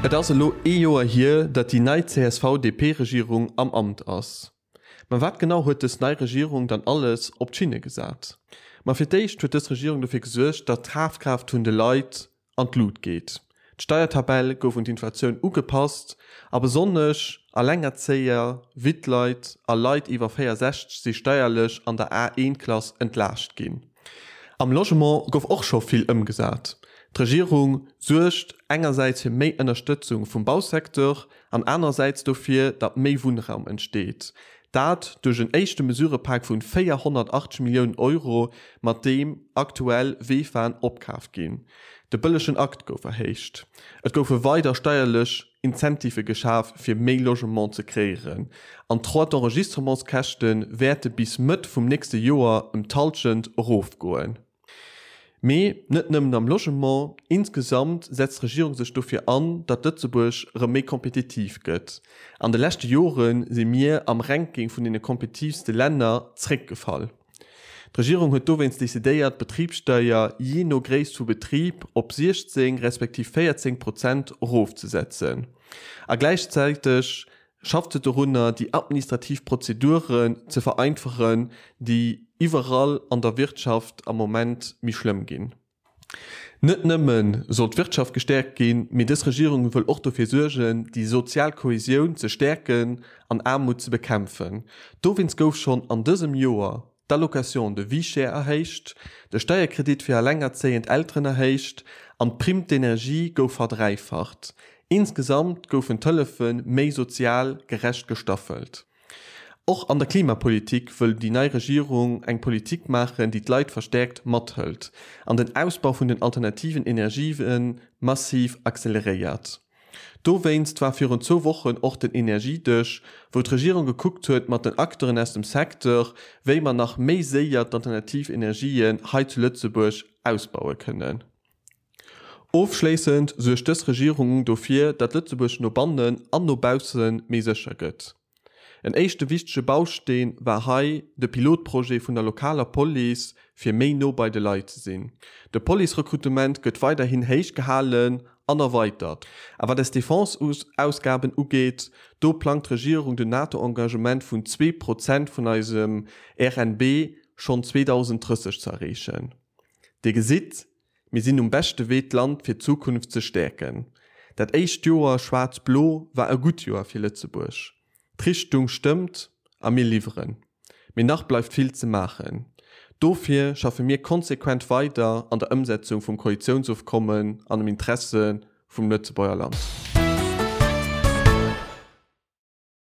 Et ass elo ee Joer hier, datt déi nei CSV-DP-Regierung am Amt ass. Mä wat genau huet dës nei Regierung dann alles op d'Schinne gesat? Ma fir d'éischt huet dës Regierung dofir gesuergt, datt d'Kafkraaft vun de Leit an d'Lut geet. D'Steiertabell gouf un d'Inflatioun ugepasst a besonnesch Allengerzéier, Wittleit a Leit iwwer 64 si steierlech an der A1-Klass entlaascht ginn. Am Logement gouf och scho vill ëmgesat. D'Regierung suergt engersäits fir méi Ënnerstëtzung vum Bausecteur an anerersäits dofir, datt méi Wunnraum entsteet. Dat duerch en éischte Mesurepak vun 480 Milliounen Euro, mat deem aktuell VEFAen opkaaft ginn. De bëllegen Akt gouf erhéicht. Et goufe weider steierlech Incentivë geschaf, fir méi Logement ze kreéieren, an d'Droits d'enregistrementskäschte wäerte bis Mëtt vum nächste Joer ëm d'Hallschent erofgoen. Mee net nëmmen am Logement, insgesamt setzt d'Regierung sech dofir an, datt Lëtzebuerg erëm méi kompetitiv gëtt. An de leschte Jore si mir am Ranking vun deene kompetitivste Länner zréckgefall. D'Regierung huet dowéinst decidéiert, d'Betribssteier jee no Gréisst vu Betrib op 16 respektiv 14 Prozent erofzesetzen. A gläichzäiteg schafft se dorunner, déi administrativ Prozeduren ze vereinfachen, déi iwwerall an der Wirtschaft am Moment méi schlëmm ginn. Net nëmme soll d'Wirtschaft gestäerkt ginn, mee dës Regierung wëll och dofir suergen, déi sozial Kohesioun ze stäerken an Aarmut ze bekämpfen. Dowéinst gouf schonn an dësem Joer d'Allocation de vie chère erhéicht, de Steierkredit fir allengerzéiend Elteren erhéicht an d'Prime d'énergie gouf verdräifacht. Insgesamt goufen d'Hëllefe méi sozial gerecht gestaffelt. Och an der Klimapolitik wëll déi nei Regierung eng Politik maachen, déi d'Leit verstäerkt mathëlt an den Ausbau vun den alternativen Energië massiv acceleréiert. Dowéinst war virun zwou Wochen och den Energiedësch, wou d'Regierung gekuckt huet mat den Acteuren aus dem Secteur, wéi mer nach méi séier d'alternativ Energien hei zu Lëtzebuerg ausbaue kënnen. Ofschléissend suergt dës Regierung dofir, datt Lëtzebuerg no bannen an no bausse méi sécher gëtt. En éischte wichtege Bausteen war hei de Pilotprojet vun der lokaler Police, fir méi no bei de Leit ze sinn. De Policerekrutement gëtt weiderhin héich gehalen an erweitert. A wat eis Defenseausgaben ugeet, do plangt d'Regierung den NATO-Engagement vun 2 Prozent vun eisem RNB schonn 2030 ze erreechen. Dir gesitt, Mir sinn um beschte Wee d'Land fir d'Zukunft ze stäerken. Dat éischt Joer schwaarz-blo war e gutt Joer fir Lëtzebuerg. D'Richtung stëmmt a mir liwweren. Mee nach bleift vill ze maachen. Dofir schaffe mir konsequent weider an der Ëmsetzung vum Koalitiounsofkommen an am Interesse vum Lëtzebuerger Land.